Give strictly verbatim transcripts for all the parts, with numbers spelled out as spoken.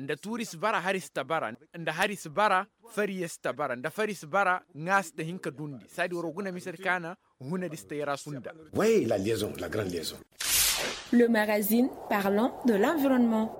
Nda tuuri si bara hari si ta bara, nda hari si bara fariya si ta bara, nda fari si bara ŋaa si ta hin ka dundi saadi waroo guna misedi kaana. Hunadi si ta yara sunda. Le magazine parlant de l'environnement.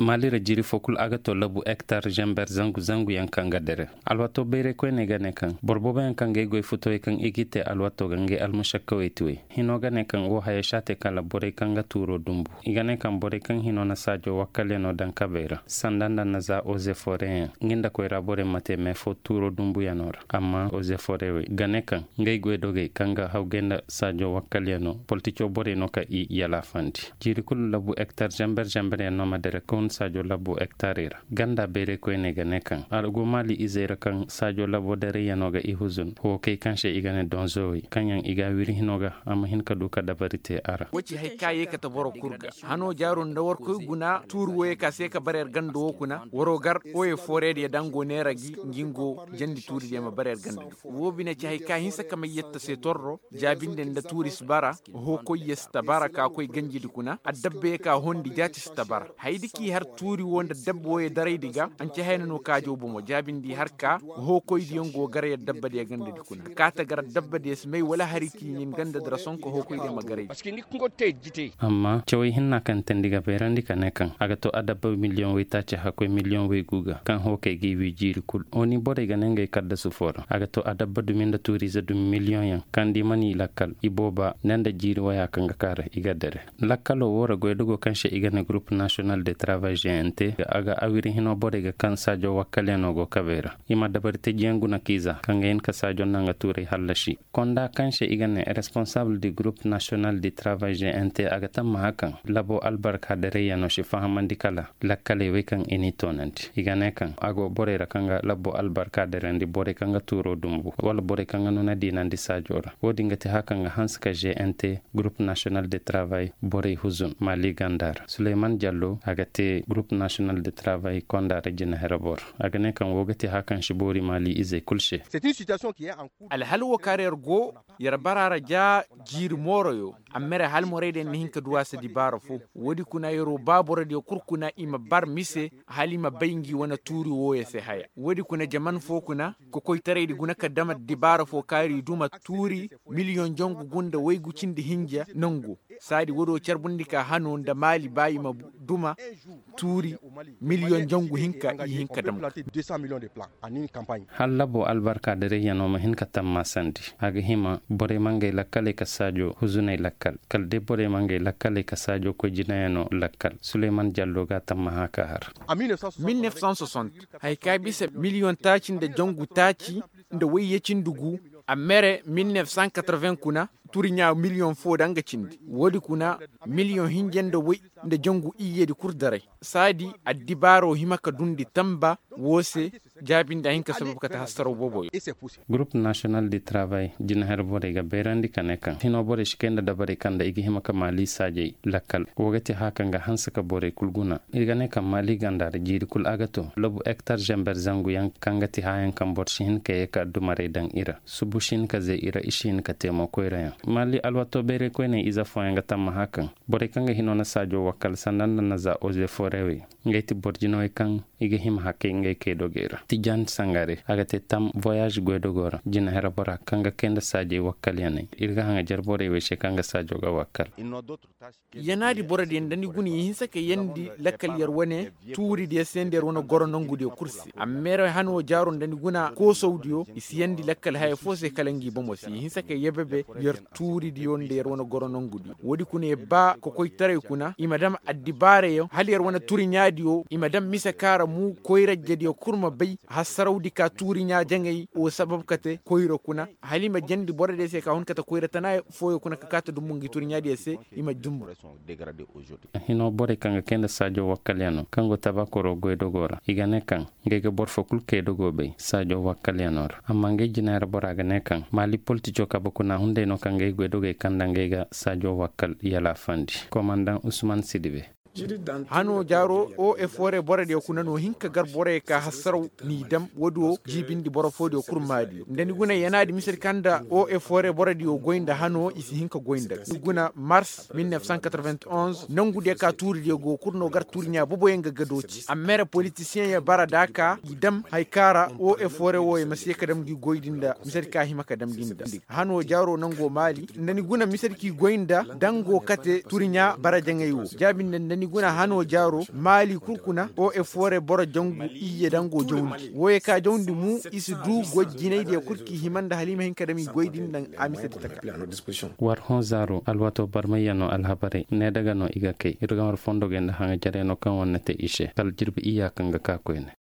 Maali ra jiiri foo kul a ga too labu hektar zember zangu zangu yaŋ kaŋ ga dere. Alwaatoo bayray koyney ga ne kaŋ boro boobo yaŋ kaŋ ga ay goy futowey kaŋ i g'i te alwaatoo ga ngey almušakkawey ti wey. Hinoo ga ne kaŋ woo haya si a te kala borey kaŋ ga tuuroo dumbu. I ga ne kaŋ borey kaŋ hinoo na saajoo wakkalyanoo daŋ kabey ra sanda nda na za ozeforeyaŋ nga nda koyra borey ma te mee foo tuuroo dumbuyanoo ra. Amma ozeforewey ga ne kaŋ ngey goydogey kaŋ ga hawgay nda saajoo wakkalyanoo politicoo borey no ka i yalaafandi. Jiiri kulu labu hektar zember zemberyaŋ no ma dere ka hun saajoo labu hektarey ra. Ganda bayray koyney ga ne kaŋ a go maali izey ra kaŋ saajoo laboo darayyanoo ga i huzun hookey kaŋ se i ga ne donzowey kaŋ yaŋ i ga a wiri hinoo ga a ma hin ka du ka dabari te a ra. Woo ci hari ka yee kate boro kul ga hanoo jaaroo nda warkoy guna tuuri wooyey ka se ka bara yer ganda woo kuna waroo gar oye fooreediyo daŋ go neera gi ngi ngo jandi tuuridiyo ma bara yer ganda di. Woo bine ci hari ka hinsa ka may yetta se torro jaabinde nda tuuri si bara. Hookoyyo si ta bara ka koy ganjidi kuna adabbayo ka hondi jaati si ta bara. Hayadi k'i har tuuri woo nda dabba wooyo daraydi ga anca hayna no kaajaw bomo jaabindi har ka hookoydiyaŋ go gar yer dabbadiyo gandadi kuna ka kaa ta gar dabbadiyo si may wala hari k'i ɲin gandadi ra sohõ ka hookoydiyo ma garaydi. Amma cawey hinna kaŋ teendi ga bayrandi ka ne kaŋ a ga to adabba miliyoŋ waytaaci hakkoy miliyoŋ waygu ga kaŋ hookey g'i wii jiiri kul oni borey ga ne ngey kaddasu foo ra a ga to adabba dumi nda tuuriize dumi miliyoŋyaŋ kaŋ da i mana i lakkal ibooba ne nda jiiri waya kaŋ ga kaa ra i ga dere. Lakkaloo woo ra goydogo kaŋ se i ga ne gurup nasiyonal de travay g n t a ga awiri hinoo borey ga kaŋ saajoo wakkalyanoo go kabey ra i ma dabari tejiyaŋ guna k'i za kaŋ ga hin ka saajoo naŋ ga tuurey hallasi. Konda kaŋ se i ga ne responsabul di gurup nasiyonal di travay g n t a ga tammaha kaŋ laboo albarka dereyyanoo si fahamandi kala lakkaley wey kaŋ i n'i toonandi i ga ne kaŋ a go borey ra kaŋ ga laboo albarka derandi borey kaŋ ga tuuroo dumbu wala borey kaŋ ga nuna diinandi saajoo ra woo din ga te haya kaŋ ga hanse ka g n t gurup nasiyonal de travay borey huzun maali ganda ra suleyman jallo a ga te gurup nasiyonal de travay konda ra jinahere boro a ga ne kaŋ woo ga te haya kaŋ si boori maali izey kul se. Alhal woo kaŋ ra yer go yer bara ra ja jiiri mooroyo. Amma yer halmoraydiyo na hin ka du a se dibaara foo woodi kuna yeroo ba borodiyo kul kuna i ma bar mise hala i ma bay ngi wane tuuri wooyo se haya woodi kuna jaman foo kuna kokoytaraydi guna ka dam dibaara foo kaari duma tuuri miliyoŋ jangu gu nda waygu cindi hinja nangu. Saadi woodiyo carbundi ka hano nda maali ba i ma duma tuuri miliyoŋ jangu hinka i hin ka dam. Hal laboo albarka dareyanoo ma hin ka tammaasandi a ga hima borey ma ngey lakkaley ka saajoo huzuney lakkal kala day borey ma ngey lakkaley ka saajoo koy jinayanoo lakkal suleyman jallo ga a tammaha ka har. Mil nef san soixante, haya ka bisa miliyoŋ taaci nda jangu taaci nda wayye cindi gu. A mere mil nef san katreven kuna turiɲaa miliyoŋ foo da nga cindi woodi kuna miliyoŋ hinja nda way nda jangu iyyedi kul daray. Saadi addibaaroo hima ka dundi tamba woo se. Jaabindi a hin ka sabab kate hasaraw booboyo. Gurup nasiyonal di tarabay jinaher borey ga bayrandi ka ne kaŋ hinoo borey si kay nda dabarey kaŋ nda i ga hima ka maali saajey lakkal woo ga te haya kaŋ ga hanse ka borey kul guna. I ga ne kaŋ maali ganda ra jiiri kul a ga to labu hektar zember zangu yaŋ kaŋ ga te hayaŋ kaŋ boro si hin ka yee ka addumarey daŋ i ra subu si hin ka zee i ra i si hin ka te mo koyrayaŋ. Maali alwato bayray koyney ize fooyaŋ ga tammaha kaŋ borey kaŋ ga hinoo na saajo wakkal sanda nda na za ozeforewey ngey ti boro jinawey kaŋ i ga hima hakay ngey kay dogey ra. Tijan sangare a ga te tam voyage goydogo ra jinahere bora kaŋ ga kay nda saajey wakkalyaney ir ga haŋajer borey wey se kaŋ ga saajo ga wakkal. Yanaadi borodiyo nda ni guna i hinse ka yandi lakkal yer wane tuuridiyo se nda yer wane goro nongudiyo kul se amma yer hano jaaro nda ni guna koosawdiyo i si yandi lakkal haya foo se kala ngi bomo se i hinse ka yebebe yer tuuridiyo nda yer wane goro nongudiyo woodi kuna yer ba kokoytaray kuna i ma dam addibaarayaŋ hala yer wane turiɲaadiyo i ma dam mise kaŋ a ra mu koyrajediyo kul ma bay hasarawdi ka tuuriɲaa jaŋay wo sabab kate koyra kuna hala i ma jandi borodiyo se ka hun kate koyra tana fooyo kuna ka kaate dumbu ngi turiɲaadiyo se. I ma dumbu. Hinoo borey kaŋ ga kay nda saajo wakkalyanoo kaŋ go tabakoro goydogoo ra i ga ne kaŋ ngey ga boro foo kul kay dogoo bay saajo wakkalyanoo ra amma ngey jinaay ra bora ga ne kaŋ maali politico kabe kuna hunday no kaŋ ngey goydogey kaŋ nda ngey ga saajo wakkal yalaafandi komandaŋ usman sidibe. Hanoo jaaroo o efore borodiyo kuna no hin ka gar boroyo ka hassaraw n'i dam woodiyo jiibindi boro foodiyo kul maali nda ni guna yanaadi misedi kaŋ nda o efore borodiyo goy nda hanoo i si hin ka goy nda ni guna mars mil nef san katarvent onz nangudiyo ka tuuridiyo go kul no gar tuuriɲaa boboyaŋ ga gadoo ci amma ere politisiyeŋ yaŋ bara nda a ka i dam hari kaŋ ra o efore wooyo ma si ye ka dam ngi goy din nda misedi ka hima ka dam gi nda hanoo jaaroo nangoo maali nda ni guna misedi k'i goy nda dango kate tuuriɲaa bara jaŋay woo jaabi nda nda ni guna hanoo jaaroo maali kul kuna o efore boro jangu iyye dango jawndi wooyo ka jawndi mu i si duu goy jinaydiyo kul k'i hima nda hala i ma hin ka dam i goy din nda a misedi taka. War hõ zaaro alwaatoo barmayyanoo alhabarey needa ga no i ga kay ir ga war fondogey nda haŋajarey no kaŋ war na te i se kala jirbi iyya kaŋ ga ka koyne.